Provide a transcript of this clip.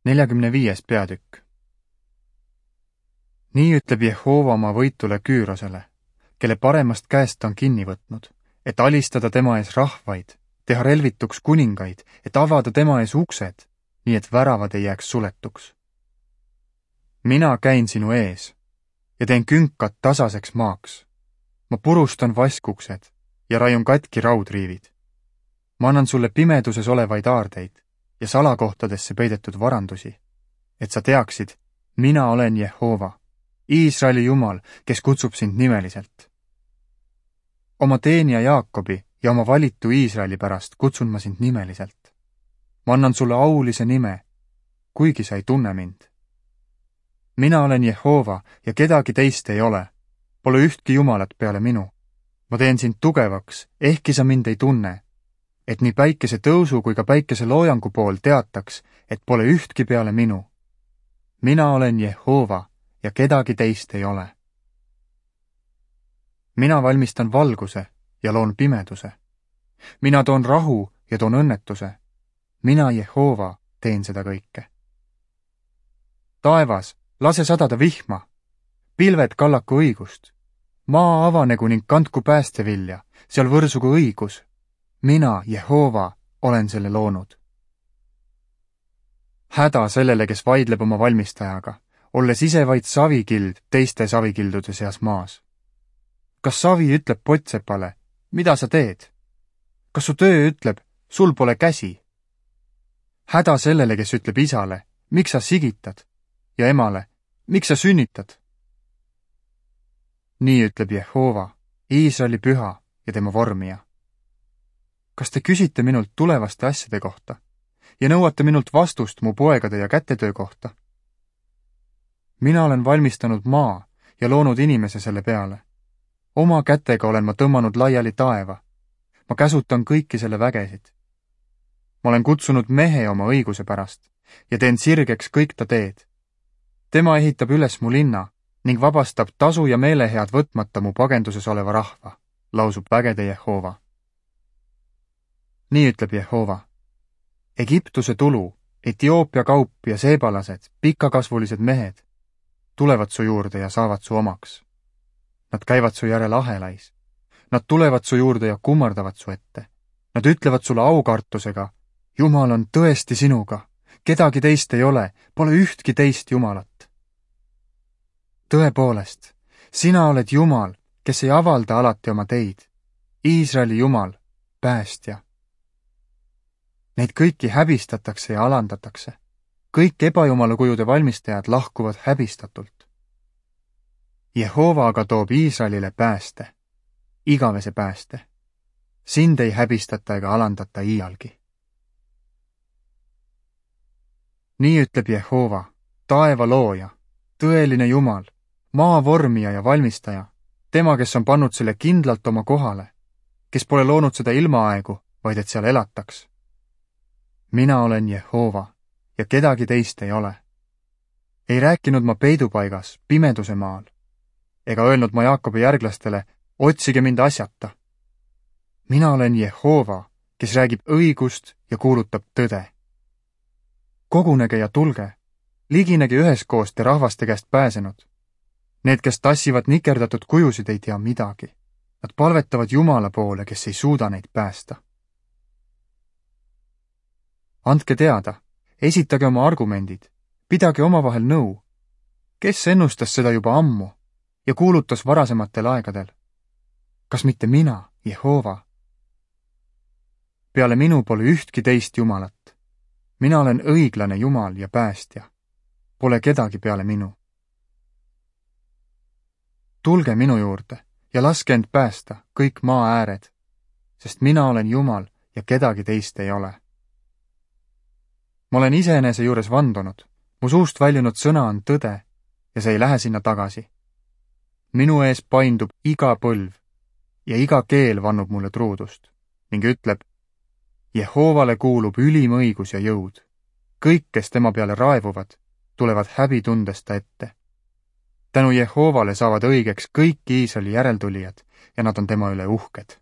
45. peatükk. Nii ütleb Jehova oma võitule Küürosele, kelle paremast käest ta on kinni võtnud, et alistada tema ees rahvaid, teha relvituks kuningaid, et avada tema ees uksed, nii et väravad ei jääks suletuks. Mina käin sinu ees ja teen künkad tasaseks maaks. Ma purustan vaskuksed ja raiun katki raudriivid. Ma annan sulle pimeduses olevaid aardeid ja salakohtadesse peidetud varandusi, et sa teaksid, mina olen Jehova, Iisraeli Jumal, kes kutsub sind nimeliselt. Oma teenija Jaakobi ja oma valitu Iisraeli pärast kutsun ma sind nimeliselt. Ma annan sulle aulise nime, kuigi sa ei tunne mind. Mina olen Jehova ja kedagi teist ei ole, pole ühtki Jumalat peale minu. Ma teen sind tugevaks, ehkki sa mind ei tunne, et nii päikese tõusu kui ka päikese loojangu pool teataks, et pole ühtki peale minu. Mina olen Jehova ja kedagi teist ei ole. Mina valmistan valguse ja loon pimeduse. Mina toon rahu ja toon õnnetuse. Mina Jehova teen seda kõike. Taevas, lase sadada vihma, pilved kallaku õigust, maa avanegu ning kandku päästevilja, seal võrsugu õigus. Mina, Jehova, olen selle loonud. Häda sellele, kes vaidleb oma valmistajaga, olles ise vaid savikild teiste savikildude seas maas. Kas savi ütleb pottsepale, mida sa teed? Kas su töö ütleb, sul pole käsi? Häda sellele, kes ütleb isale, miks sa sigitad? Ja emale, miks sa sünnitad? Nii ütleb Jehova, Iisraeli püha ja tema vormija. Kas te küsite minult tulevaste asjade kohta ja nõuate minult vastust mu poegade ja kätetöö kohta? Mina olen valmistanud maa ja loonud inimese selle peale. Oma kätega olen ma tõmmanud laiali taeva. Ma käsutan kõiki selle vägesid. Ma olen kutsunud mehe oma õiguse pärast ja teen sirgeks kõik ta teed. Tema ehitab üles mu linna ning vabastab tasu ja meelehead võtmata mu pagenduses oleva rahva, lausub vägede Jehova. Nii ütleb Jehova. Egiptuse tulu, Etioopia kaup ja seebalased, pikakasvulised mehed, tulevad su juurde ja saavad su omaks. Nad käivad su järel ahelais. Nad tulevad su juurde ja kummardavad su ette. Nad ütlevad sulle aukartusega, Jumal on tõesti sinuga, kedagi teist ei ole, pole ühtki teist Jumalat. Tõepoolest, sina oled Jumal, kes ei avalda alati oma teid, Iisraeli Jumal, päästja. Neid kõiki häbistatakse ja alandatakse. Kõik ebajumala kujude valmistajad lahkuvad häbistatult. Jehova aga toob Iisraelile pääste, igavese pääste. Sind ei häbistata ega alandata iialgi. Nii ütleb Jehova, taeva looja, tõeline Jumal, maa vormija ja valmistaja, tema, kes on pannud selle kindlalt oma kohale, kes pole loonud seda ilmaaegu, vaid et seal elataks. Mina olen Jehova ja kedagi teist ei ole. Ei rääkinud ma peidupaigas, pimeduse maal, ega öelnud ma Jaakobi järglastele, otsige mind asjata. Mina olen Jehova, kes räägib õigust ja kuulutab tõde. Kogunege ja tulge, liginege üheskoos te rahvaste käest pääsenud. Need, kes tassivad nikerdatud kujusid, ei tea midagi. Nad palvetavad Jumala poole, kes ei suuda neid päästa. Andke teada, esitage oma argumendid, pidage omavahel nõu. Kes ennustas seda juba ammu ja kuulutas varasematel aegadel? Kas mitte mina, Jehova? Peale minu pole ühtki teist Jumalat. Mina olen õiglane Jumal ja päästja. Pole kedagi peale minu. Tulge minu juurde ja laske end päästa kõik maa ääred, sest mina olen Jumal ja kedagi teist ei ole. Ma olen iseenese juures vandunud, mu suust väljunud sõna on tõde ja see ei lähe sinna tagasi. Minu ees paindub iga põlv ja iga keel vannub mulle truudust ning ütleb, Jehovale kuulub ülim õigus ja jõud. Kõik, kes tema peale raevuvad, tulevad häbitundesta ette. Tänu Jehovale saavad õigeks kõik Iisraeli järeltulijad ja nad on tema üle uhked.